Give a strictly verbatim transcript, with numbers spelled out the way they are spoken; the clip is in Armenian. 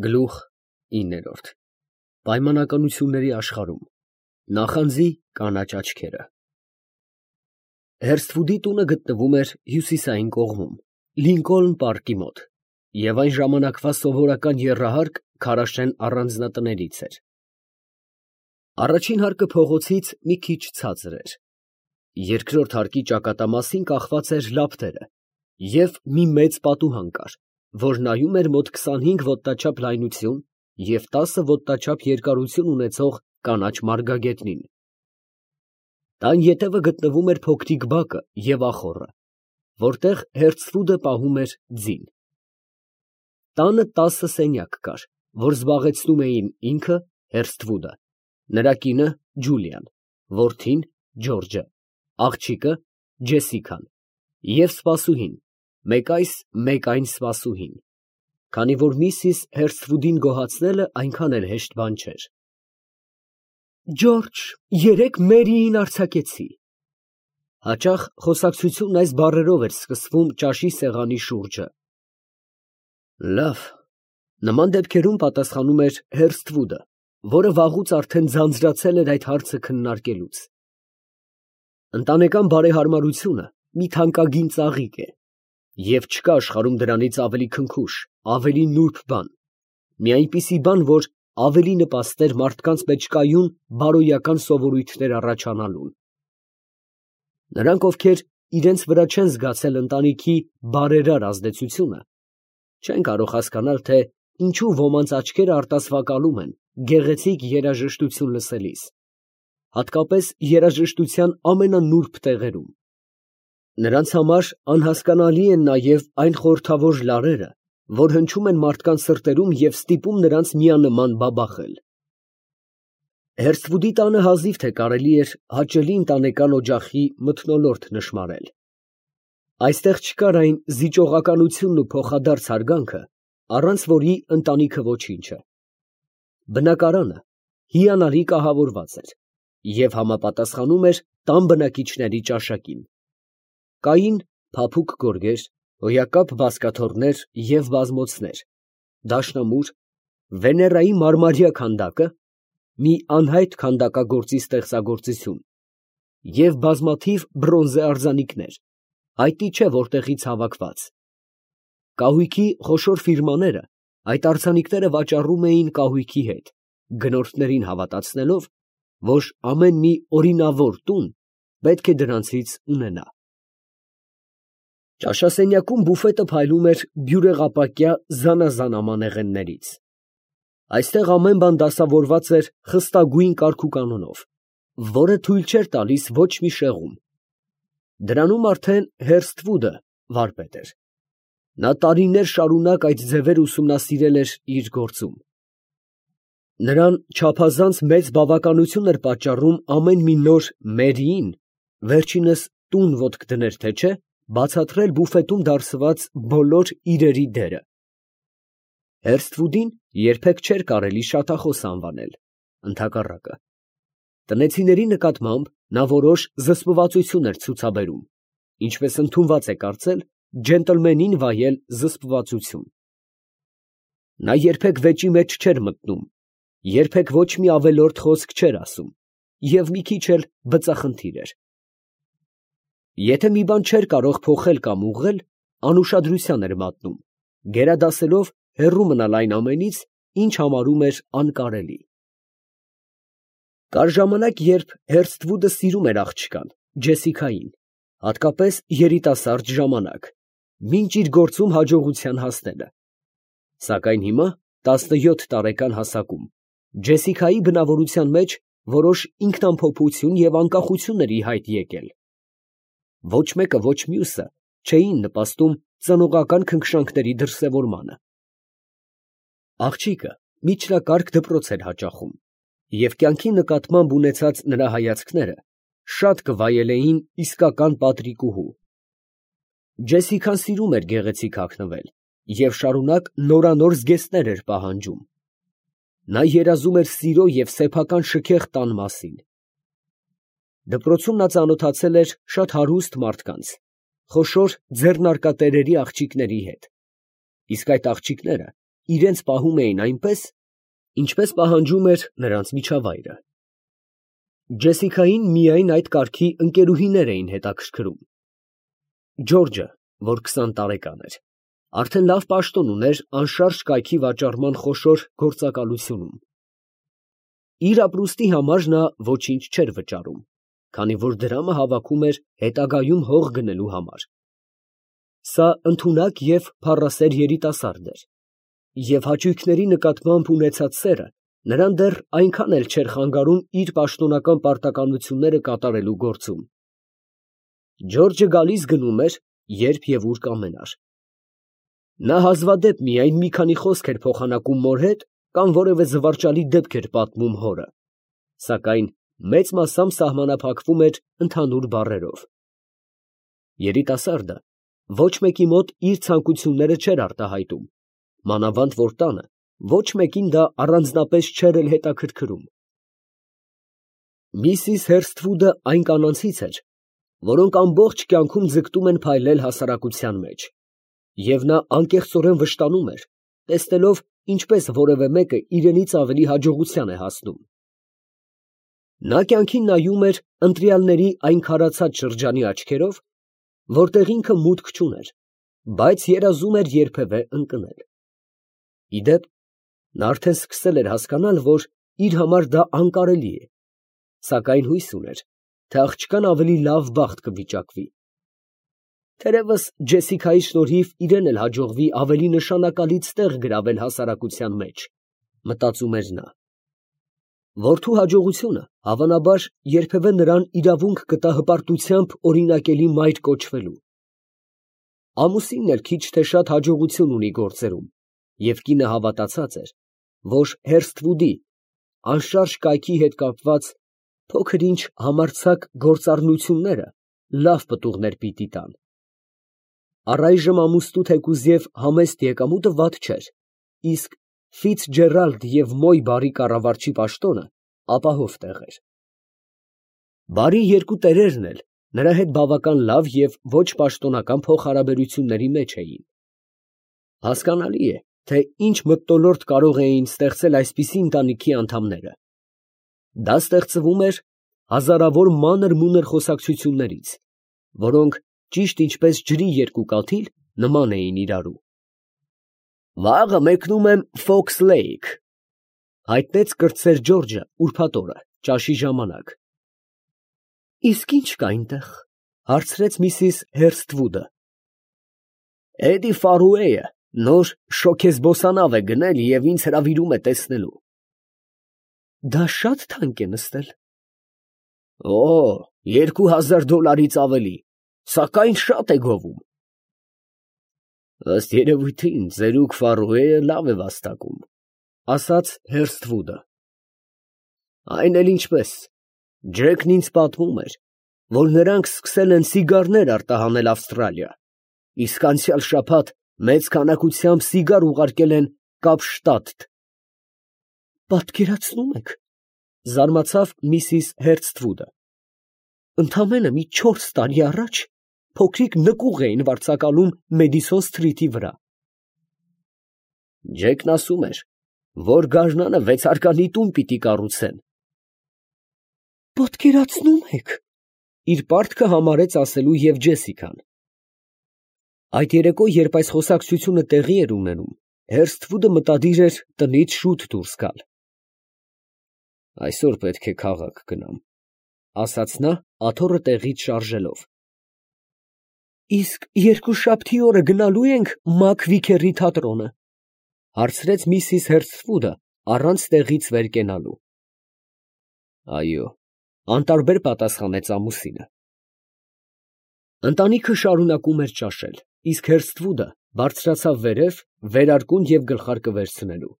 Գլուխ ինը Պայմանականությունների աշխարհում, նախանձի կանաչ աչքերը։ Հերսթվուդի տունը գտնվում էր հյուսիսային կողմում, Լինկոլն պարկի մոտ, և այն ժամանակվա սովորական եռահարկ քարաշեն առանձնատներից էր։ Առաջին հարկը փողոցից մի քիչ ցածր էր, երկրորդ հարկի ճակատամասին կախված էր լապտերը և մի մեծ պատուհան կար, որ նայում էր մոտ քսանհինգ ոտնաչափ լայնություն և տասը ոտնաչափ երկարություն ունեցող կանաչ մարգագետնին։ Տան ետևը գտնվում էր փոքրիկ բակը և ախոռը, որտեղ Հերսթվուդը պահում էր ձին։ Տանը տասը սենյակ կար, որ զբաղեցնում էին ինքը Հերսթվուդը, նրա կինը Ջուլիան, որդին Ջորջը, աղջիկը Ջեսիկան և սպասուհին, մեկ այս, մեկ այն սպասուհին, քանի որ միսիս Հերսթվուդին գոհացնելը այնքան էլ հեշտ բան չէր։ Ջորջ, երեկ Մերիին արձակեցի։ Հաճախ խոսակցությունն այս բառերով էր սկսվում ճաշի սեղանի շուրջը։ Լավ, նման դեպքերում պատասխանում էր Հերսթվուդը, որը վաղուց արդեն ձանձրացել էր այդ հարցը քննարկելուց։ Ընտանեկան բարեհարմարությունը մի թանկագին ծաղիկ է, և չկա աշխարհում դրանից ավելի քնքուշ, ավելի նուրբ բան, մի այնպիսի բան, որ ավելի նպաստեր մարդկանց մեջ կայուն բարոյական սովորույթներ առաջանալուն։ Նրանք, ովքեր իրենց վրա չեն զգացել ընտանիքի բարերար ազդեցությունը, չեն կարող հասկանալ, թե ինչու ոմանց աչքերը արտասվակալում են գեղեցիկ երաժշտություն լսելիս, հատկապես երաժշտության ամենանուրբ տեղերում։ Նրանց համար անհասկանալի են նաև այն խորհրդավոր լարերը, որ հնչում են մարդկանց սրտերում և ստիպում նրանց միանման բաբախել։ Հերսթվուդի տանը հազիվ թե կարելի էր հաճելի ընտանեկան օջախի մթնոլորտ նշմարել։ Այստեղ չկար այն զիջողականությունն ու փոխադարձ հարգանքը, առանց որի ընտանիքը ոչինչ է։ Բնակարանը հիանալի կահավորված էր և համապատասխանում էր տան բնակիչների ճաշակին։ Կային փափուկ գորգեր, հոյակապ բազկաթոռներ և բազմոցներ, դաշնամուր, Վեներայի մարմարյա քանդակը, մի անհայտ քանդակագործի ստեղծագործություն և բազմաթիվ բրոնզե արձանիկներ, հայտնի չէ որտեղից հավաքված։ Կահույքի խոշոր ֆիրմաները այդ արձանիկները վաճառում էին կահույքի հետ, գնորդներին հավատացնելով, որ ամեն մի օրինավոր տուն պետք է դրանցից ունենա։ Ճաշասենյակում բուֆետը փայլում էր բյուրեղապակյա զանազան ամանեղեններից։ Այստեղ ամեն բան դասավորված էր խստագույն կարգուկանոնով, որը թույլ չէր տալիս ոչ մի շեղում։ Դրանում արդեն Հերսթվուդը վարպետ էր։ Նա տարիներ շարունակ այդ ձևերը ուսումնասիրել էր իր գործում։ Նրան չափազանց մեծ բավականություն էր պատճառում ամեն մի նոր Մերիին, վերջինս տուն ոտք դներ թե չէ, բացատրել բուֆետում դարսված բոլոր իրերի դերը։ Հերսթվուդին երբեք չէր կարելի շատախոս անվանել, ընդհակառակը, տնեցիների նկատմամբ նա որոշ զսպվածություն էր ցուցաբերում, ինչպես ընդունված է կարծել ջենտլմենին վայել զսպվածություն։ Նա երբեք վեճի մեջ չէր մտնում, երբեք ոչ մի ավելորդ խոսք չէր ասում և մի քիչ էլ բծախնդիր էր։ Եթե մի բան չէր կարող փոխել կամ ուղղել, անուշադրության էր մատնում, գերադասելով հեռու մնալ այն ամենից, ինչ համարում էր անկարելի։ Կար ժամանակ, երբ Հերսթվուդը սիրում էր աղջկան, Ջեսիկային, հատկապես երիտասարդ ժամանակ, մինչ իր գործում հաջողության հասնելը։ Սակայն հիմա, տասնյոթ տարեկան հասակում, Ջեսիկայի բնավորության մեջ որոշ ինքնամփոփություն և անկախություն էր ի հայտ եկել։ Ոչ մեկը, ոչ մյուսը չէին նպաստում ծնողական քնքշանքների դրսևորմանը։ Աղջիկը միջնակարգ դպրոց էր հաճախում, և կյանքի նկատմամբ ունեցած նրա հայացքները շատ կվայելեին իսկական պատրիկուհու։ Ջեսիկան սիրում էր գեղեցիկ հագնվել և շարունակ նորանոր զգեստներ էր պահանջում։ Նա երազում էր սիրո և սեփական շքեղ տան մասին։ Դպրոցում նա ծանոթացել էր շատ հարուստ մարդկանց, խոշոր ձեռնարկատերերի աղջիկների հետ, իսկ այդ աղջիկները իրենց պահում էին այնպես, ինչպես պահանջում էր նրանց միջավայրը։ Ջեսիկային միայն այդ կարգի ընկերուհիներ էին հետաքրքրում։ Ջորջը, որ քսան տարեկան էր, արդեն լավ պաշտոն ուներ անշարժ կայքի վաճառման խոշոր գործակալությունում։ Իր ապրուստի համար նա ոչինչ չէր վճարում, քանի որ դրամը հավաքում էր հետագայում հող գնելու համար։ Սա ընդունակ և փառասեր երիտասարդ էր, և հաճույքների նկատմամբ ունեցած սերը նրան դեռ այնքան էլ չէր խանգարում իր պաշտոնական պարտականությունները կատարելու գործում։ Ջորջը գալիս գնում էր, երբ և ուր կամենար։ Նա հազվադեպ միայն մի քանի խոսք էր փոխանակում մոր հետ կամ որևէ զվարճալի դեպք էր պատմում հորը, սակայն մեծ մասամբ սահմանափակվում էր ընդհանուր բառերով։ Երիտասարդը ոչ մեկի մոտ իր ցանկությունները չէր արտահայտում, մանավանդ որ տանը ոչ մեկին դա առանձնապես չէր էլ հետաքրքրում։ Միսիս Հերսթվուդը այն կանանցից էր, որոնք ամբողջ կյանքում ձգտում են փայլել հասարակության մեջ, և նա անկեղծորեն վշտանում էր, տեսնելով, ինչպես որևէ մեկը իրենից ավելի հաջողության է հասնում։ Նա կյանքին նայում էր ընտրյալների այն քարացած շրջանի աչքերով, որտեղ ինքը մուտք չուներ, բայց երազում էր երբևէ ընկնել։ Ի դեպ, նա արդեն սկսել էր հասկանալ, որ իր համար դա անկարելի է, սակայն հույս ուներ, թե աղջկան ավելի լավ բախտ կվիճակվի։ Թերևս Ջեսիկայի շնորհիվ իրեն էլ հաջողվի ավելի նշանակալից տեղ գրավել հասարակության մեջ, մտածում էր նա։ Որդու հաջողությունը, հավանաբար, երբևէ նրան իրավունք կտա հպարտությամբ օրինակելի մայր կոչվելու։ Ամուսինն էլ քիչ թե շատ հաջողություն ունի գործերում, և կինը հավատացած էր, որ Հերսթվուդի անշարժ կայքի հետ կապված փոքր-ինչ համարձակ գործառնությունները լավ պտուղներ պիտի տան։ Առայժմ ամուսնու թեկուզև համեստ եկամուտը վատ չէր, իսկ Ֆիցջերալդ և Մոյ բարի կառավարչի պաշտոնը ապահով տեղ էր։ Բարի երկու տերերն էլ նրա հետ բավական լավ և ոչ պաշտոնական փոխհարաբերությունների մեջ էին։ Հասկանալի է, թե ինչ մթնոլորտ կարող էին ստեղծել այսպիսի ընտանիքի անդամները։ Դա ստեղծվում էր հազարավոր մանր-մունր խոսակցություններից, որոնք ճիշտ ինչպես ջրի երկու կաթիլ նման էին իրարու։ «Վաղը մեկնում եմ Ֆոքս Լեյք», հայտնեց կրտսեր Ջորջը ուրբաթ օրը ճաշի ժամանակ։ «Իսկ ի՞նչ կա այնտեղ», հարցրեց միսիս Հերսթվուդը։ «Էդի Ֆարուեյը նոր շոգեզբոսանավ է գնել և ինձ հրավիրում է տեսնելու»։ «Դա շատ թանկ է նստել»։ «Օ, երկու հազար դոլարից ավելի, սակայն շատ է գովում»։ «Ըստ երևույթին, ծերուկ Ֆարուեյը լավ է վաստակում», ասաց Հերսթվուդը։ «Այն էլ ինչպես, Ջեկն ինձ պատմում էր, որ նրանք սկսել են սիգարներ արտահանել Ավստրալիա, իսկ անցյալ շաբաթ մեծ քանակությամբ սիգար ուղարկել են Կապշտադտ»։ «Պատկերացնում եք, ֊ զարմացավ միսիս Հերսթվուդը, ֊ ընդամենը մի չորս տարի առաջ փոքրիկ նկուղ էին վարձակալում Մեդիսոն Սթրիթի վրա»։ «Ջեկն ասում էր, որ գարնանը վեցարկանի տուն պիտի կառուցեն»։ «Պատկերացնում եք, ֊ իր պարտքը համարեց ասելու և Ջեսիկան։ Այդ երեկո, երբ այս խոսակցությունը տեղի էր ունենում, Հերսթվուդը մտադիր էր տնից շուտ դուրս գալ։ «Այսօր պետք է քաղաք գնամ», ֊ ասաց նա, աթոռը տեղից շարժելով։ «Իսկ երկուշաբթի օրը գնալո՞ւ ենք Մակ Վիքերի թատրոնը», ֊ հարցրեց միսիս Հերսթվուդը առանց տեղից վեր կենալու։ «Այո», ֊ անտարբեր պատասխանեց ամուսինը։ Ընտանիքը շարունակում էր ճաշել, իսկ Հերսթվուդը բարձրացավ վերև վերարկուն և գլխարկը վերցնելու։